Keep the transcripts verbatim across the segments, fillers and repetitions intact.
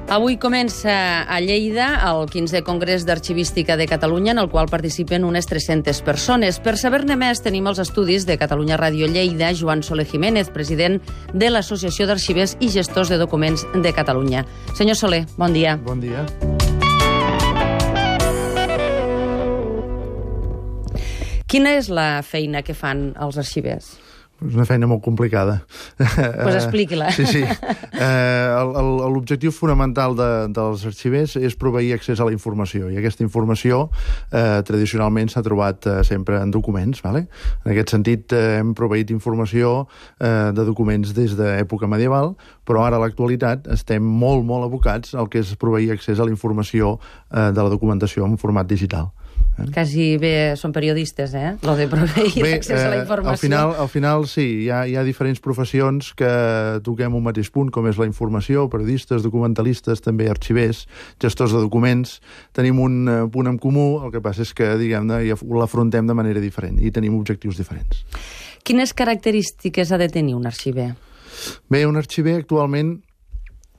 Avui comença a Lleida el quinzè Congrés d'Arxivística de Catalunya, en el qual participen unes tres-centes persones. Per saber-ne més, tenim els estudis de Catalunya Ràdio Lleida, Joan Soler Jiménez, president de l'Associació d'Arxivers i Gestors de Documents de Catalunya. Senyor Soler, bon dia. Bon dia. Quina és la feina que fan els arxivers? És una feina molt complicada. Doncs pues expliqui-la. Sí, sí. Eh, L'objectiu fonamental de, dels arxivers és proveir accés a la informació, i aquesta informació eh, tradicionalment s'ha trobat eh, sempre en documents. Vale? En aquest sentit, eh, hem proveït informació eh, de documents des d'època medieval, però ara a l'actualitat estem molt, molt abocats al que és proveir accés a la informació eh, de la documentació en format digital. Quasi bé són periodistes, eh? Lo de proveir bé, accés a la informació. Al final, al final sí, hi ha, hi ha diferents professions que toquem un mateix punt, com és la informació, periodistes, documentalistes, també arxivers, gestors de documents. Tenim un punt en comú, el que passa és que, diguem-ne, l'afrontem de manera diferent i tenim objectius diferents. Quines característiques ha de tenir un arxiver? Bé, un arxiver actualment...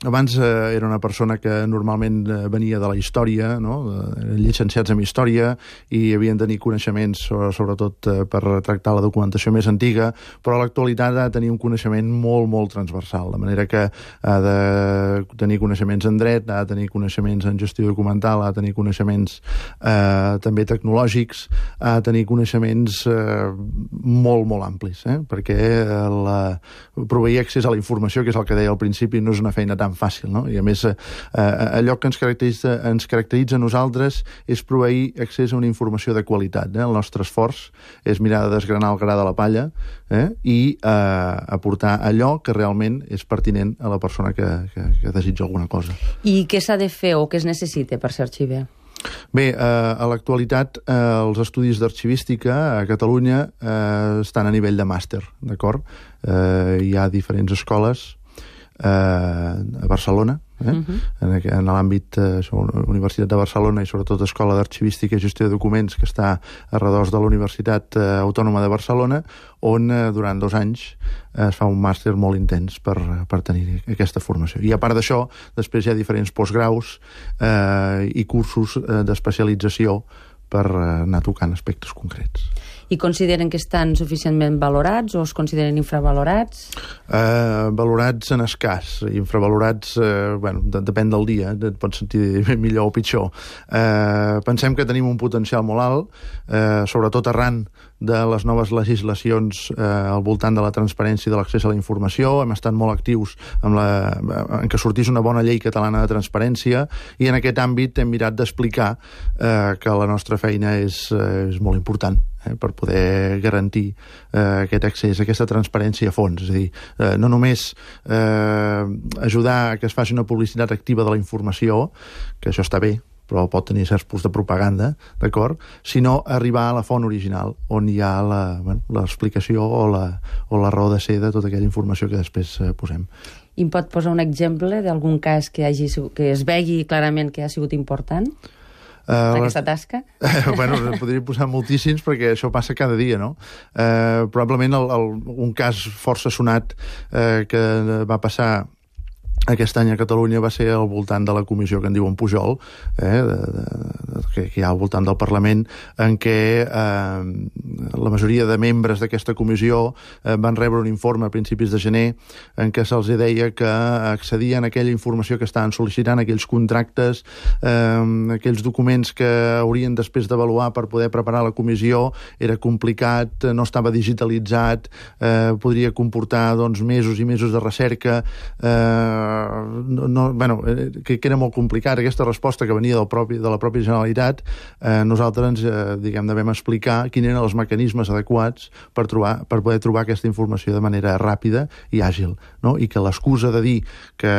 Abans eh, era una persona que normalment eh, venia de la història, no? Eren llicenciats en història i havien de tenir coneixements, sobretot eh, per tractar la documentació més antiga, però a l'actualitat ha de tenir un coneixement molt, molt transversal, de manera que ha de tenir coneixements en dret, ha de tenir coneixements en gestió documental, ha de tenir coneixements eh, també tecnològics, ha de tenir coneixements eh, molt, molt amplis, eh? Perquè la... proveir accés a la informació, que és el que deia al principi, no és una feina tan fàcil, no? I a més, eh, allò que ens caracteritza, ens caracteritza a nosaltres és proveir accés a una informació de qualitat. Eh? El nostre esforç és mirar de desgranar el gra de la palla eh? i eh, aportar allò que realment és pertinent a la persona que, que, que desitja alguna cosa. I què s'ha de fer o què es necessita per ser arxiver? Bé, eh, a l'actualitat eh, els estudis d'arxivística a Catalunya eh, estan a nivell de màster, d'acord? Eh, hi ha diferents escoles a Barcelona, eh? uh-huh. en, en l'àmbit eh, Universitat de Barcelona i sobretot Escola d'Arxivística i Gestió de Documents, que està a redós de la Universitat eh, Autònoma de Barcelona, on eh, durant dos anys eh, es fa un màster molt intens per, per tenir aquesta formació. I a part d'això, després hi ha diferents postgraus eh, i cursos eh, d'especialització per eh, anar tocant aspectes concrets. I consideren que estan suficientment valorats o es consideren infravalorats? Eh, valorats en escàs. Infravalorats, eh, bueno, de, depèn del dia, et pots sentir millor o pitjor. Eh, pensem que tenim un potencial molt alt, eh, sobretot arran de les noves legislacions eh, al voltant de la transparència i de l'accés a la informació. Hem estat molt actius amb la, en què sortís una bona llei catalana de transparència, i en aquest àmbit hem mirat d'explicar eh, que la nostra feina és, eh, és molt important eh, per poder garantir eh, aquest accés, aquesta transparència a fons. És a dir, eh, no només eh, ajudar a que es faci una publicitat activa de la informació, que això està bé, però pot tenir certs punts de propaganda, d'acord? Sinó arribar a la font original, on hi ha l'explicació bueno, o, la, o la raó de ser de tota aquella informació que després eh, posem. I em pot posar un exemple d'algun cas que, hagi, que es vegi clarament que ha sigut important? Uh, aquesta tasca? Uh, bueno, podria posar moltíssims perquè això passa cada dia, no? Uh, probablement el, el, un cas força sonat uh, que va passar aquest any a Catalunya va ser al voltant de la comissió que en diuen Pujol, eh, de, de, de, que, que hi ha al voltant del Parlament, en què eh, la majoria de membres d'aquesta comissió eh, van rebre un informe a principis de gener en què se'ls deia que accedien a aquella informació que estaven sol·licitant, aquells contractes, eh, aquells documents que haurien després d'avaluar per poder preparar la comissió, era complicat, no estava digitalitzat, eh, podria comportar doncs, mesos i mesos de recerca, eh, No, no, bueno, que, que era molt complicat. Aquesta resposta que venia del propi, de la pròpia Generalitat, eh, nosaltres ens eh, diguem, devem explicar quins eren els mecanismes adequats per, trobar, per poder trobar aquesta informació de manera ràpida i àgil, no? I que l'excusa de dir que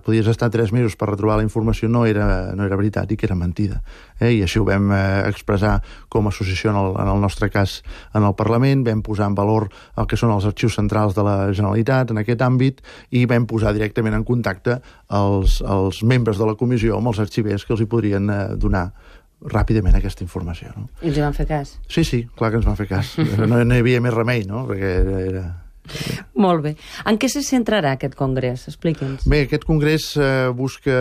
podies estar tres mesos per retrobar la informació no era, no era veritat i que era mentida. Eh? I així ho vam eh, expressar com a associació en el, en el nostre cas en el Parlament, vam posar en valor el que són els arxius centrals de la Generalitat en aquest àmbit i vam posar directament en contacte els, els membres de la comissió amb els arxivers que els hi podrien eh, donar ràpidament aquesta informació. No? I els hi van fer cas? Sí, sí, clar que ens van fer cas. No, no hi havia més remei, no? Perquè era... era... Molt bé. En què se centrarà aquest congrés? Expliqui'ns. Bé, aquest congrés eh, busca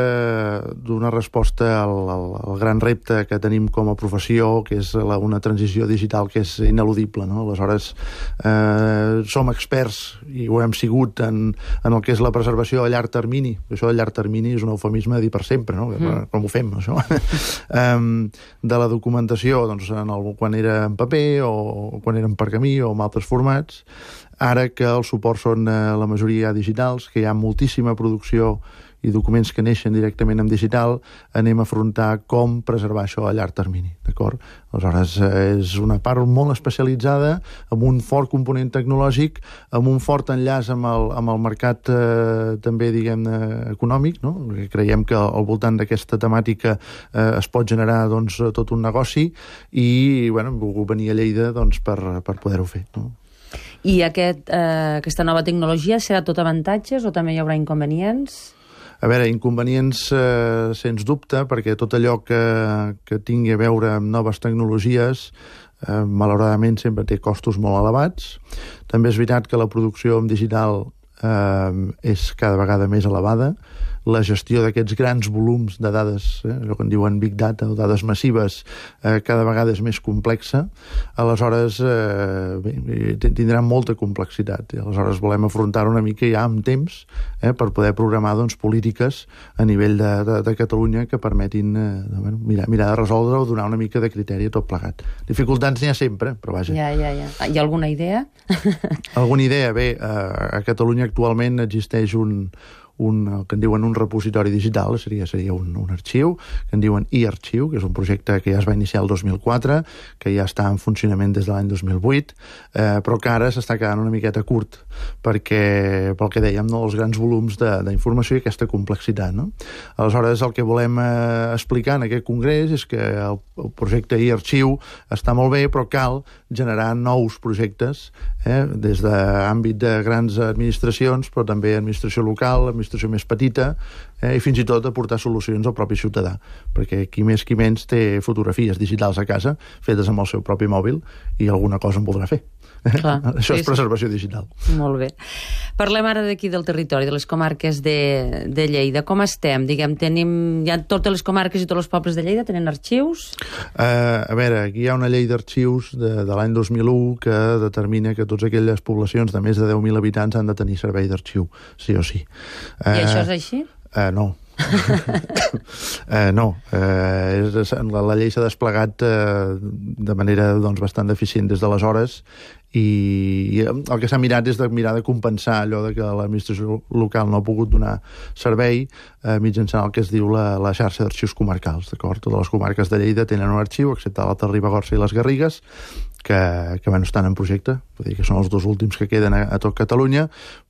donar resposta al, al, al gran repte que tenim com a professió, que és la, una transició digital que és ineludible, no? Aleshores, eh, som experts, i ho hem sigut, en, en el que és la preservació a llarg termini. Això de llarg termini és un eufemisme de dir per sempre, no? Mm. Com ho fem, això? um, de la documentació, doncs, en el, quan era en paper, o quan era en pergamí, o en altres formats, ara que el suport són eh, la majoria digitals, que hi ha moltíssima producció i documents que neixen directament en digital, anem a afrontar com preservar això a llarg termini, d'acord? Aleshores, eh, és una part molt especialitzada, amb un fort component tecnològic, amb un fort enllaç amb el, amb el mercat eh, també, diguem-ne, econòmic, no? Perquè creiem que al voltant d'aquesta temàtica eh, es pot generar, doncs, tot un negoci, i, bueno, hem volgut venir a Lleida, doncs, per, per poder-ho fer, no? I aquest, eh, aquesta nova tecnologia serà tot avantatges o també hi haurà inconvenients? A veure, inconvenients, eh, sens dubte, perquè tot allò que, que tingui a veure amb noves tecnologies, eh, malauradament sempre té costos molt elevats. També és veritat que la producció en digital eh, és cada vegada més elevada. La gestió d'aquests grans volums de dades, eh, allò que en diuen Big Data, o dades massives, eh, cada vegada és més complexa. Aleshores, eh, bé, tindrà molta complexitat. I aleshores volem afrontar-ho una mica ja amb temps, eh, per poder programar, doncs, polítiques a nivell de, de, de Catalunya que permetin eh, de, bueno, mirar, mirar de resoldre o donar una mica de criteri a tot plegat. Dificultats n'hi ha sempre, però vaja. Ja, ja, ja. Hi ha alguna idea? Alguna idea? Bé, a Catalunya actualment existeix un un, el que en diuen un repositori digital, seria, seria un, un arxiu, que en diuen e-arxiu, que és un projecte que ja es va iniciar el dos mil quatre, que ja està en funcionament des de l'any dos mil vuit, eh, però que ara s'està quedant una miqueta curt, perquè, pel que dèiem, no, els grans volums d'informació i aquesta complexitat, no? Aleshores, el que volem eh, explicar en aquest congrés és que el, el projecte e-arxiu està molt bé, però cal generar nous projectes, eh, des de l'àmbit de grans administracions, però també administració local, administració més petita, eh, i fins i tot aportar solucions al propi ciutadà, perquè qui més qui menys té fotografies digitals a casa, fetes amb el seu propi mòbil, i alguna cosa en voldrà fer. Clar, Això sí, és preservació digital. Molt bé. Parlem ara d'aquí del territori, de les comarques de, de Lleida. Com estem? Diguem, tenim, ja totes les comarques i tots els pobles de Lleida tenen arxius? Uh, a veure, aquí hi ha una llei d'arxius de, de l'any dos mil u que determina que totes aquelles poblacions de més de deu mil habitants han de tenir servei d'arxiu, sí o sí. Uh, I això és així? Uh, no. uh, no, uh, és, la, la llei s'ha desplegat uh, de manera, doncs, bastant deficient des d'aleshores, i, i el que s'ha mirat és de mirar de compensar allò de que l'administració local no ha pogut donar servei eh, mitjançant el que es diu la, la xarxa d'arxius comarcals, d'acord? Totes les comarques de Lleida tenen un arxiu, excepte l'Alta Ribagorça i les Garrigues, que, que bueno, estan en projecte, vull dir que són els dos últims que queden a, a tot Catalunya,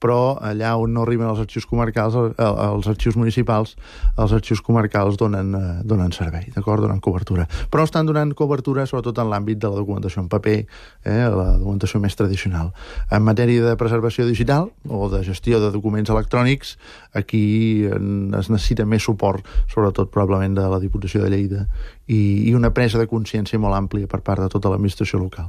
però allà on no arriben els arxius comarcals, els arxius municipals, els arxius comarcals donen, eh, donen servei, d'acord? Donen cobertura. Però estan donant cobertura sobretot en l'àmbit de la documentació en paper, eh, la documentació més tradicional. En matèria de preservació digital o de gestió de documents electrònics, aquí es necessita més suport, sobretot probablement de la Diputació de Lleida, i, i una presa de consciència molt àmplia per part de tota l'administració local.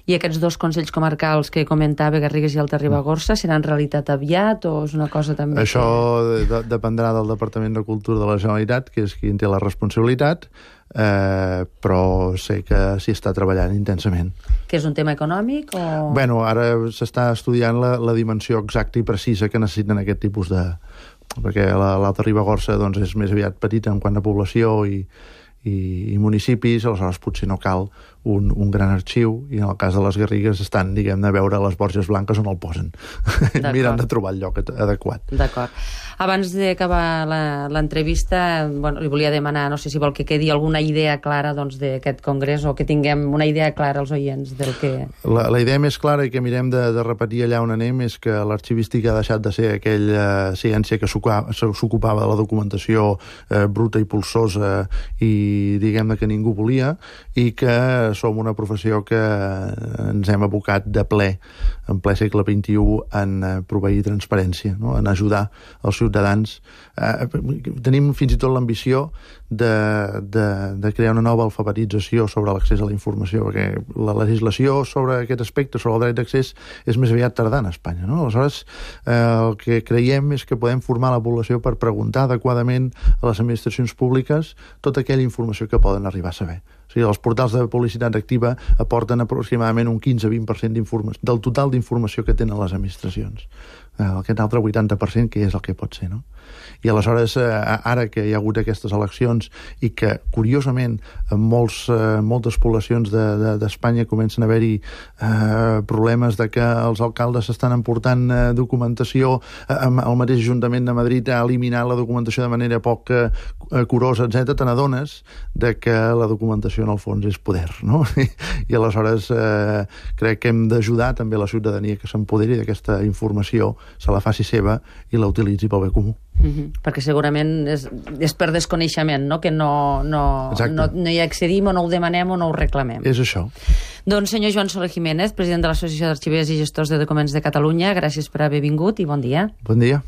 I aquests dos consells comarcals que comentava, Garrigues i Alta Ribagorça, seran realitat aviat o és una cosa també... Això que... de, dependrà del Departament de Cultura de la Generalitat, que és qui en té la responsabilitat, eh, però sé que s'hi està treballant intensament. Que és un tema econòmic o...? Bueno, ara s'està estudiant la, la dimensió exacta i precisa que necessiten aquest tipus de... perquè l'Alta Ribagorça, doncs, és més aviat petita en quant a població i, i, i municipis, aleshores potser no cal un, un gran arxiu, i en el cas de les Garrigues estan, diguem-ne, a veure les Borges Blanques on el posen. Miren de trobar el lloc adequat. D'acord. Abans d'acabar l'entrevista, bueno, li volia demanar, no sé si vol que quedi alguna idea clara, doncs, d'aquest congrés, o que tinguem una idea clara als oients del que... La, la idea més clara, i que mirem de, de repetir allà on anem, és que l'arxivística ha deixat de ser aquella ciència que s'ocupava de la documentació eh, bruta i polsosa i i diguem-ne que ningú volia, i que som una professió que ens hem abocat de ple, en ple segle vint-i-u, en proveir transparència, no? En ajudar els ciutadans. Eh, tenim fins i tot l'ambició de, de, de crear una nova alfabetització sobre l'accés a la informació, perquè la legislació sobre aquest aspecte, sobre el dret d'accés, és més aviat tardana a Espanya, no? Aleshores, eh, el que creiem és que podem formar la població per preguntar adequadament a les administracions públiques tota aquella informació que poden arribar a saber. O sigui, els portals de publicitat activa aporten aproximadament un quinze a vint per cent d'informació, del total d'informació que tenen les administracions. Aquest altre vuitanta per cent, que és el que pot ser, no? I aleshores, ara que hi ha hagut aquestes eleccions i que, curiosament, en molts, moltes poblacions d'Espanya comencen a haver-hi eh, problemes de que els alcaldes estan emportant eh, documentació, eh, el mateix Ajuntament de Madrid ha eliminat la documentació de manera poc eh, curosa, etcètera, te n'adones de que la documentació en el fons és poder, no? I, i aleshores eh, crec que hem d'ajudar també la ciutadania que s'empoderi d'aquesta informació, se la faci seva i la utilitzi pel bé comú. Mm-hmm. Perquè segurament és, és per desconeixement, no? Que no, no, no, no hi accedim o no ho demanem o no ho reclamem. És això. Doncs senyor Joan Soler Jiménez, president de l'Associació d'Arxivers i Gestors de Documents de Catalunya, gràcies per haver vingut i bon dia. Bon dia.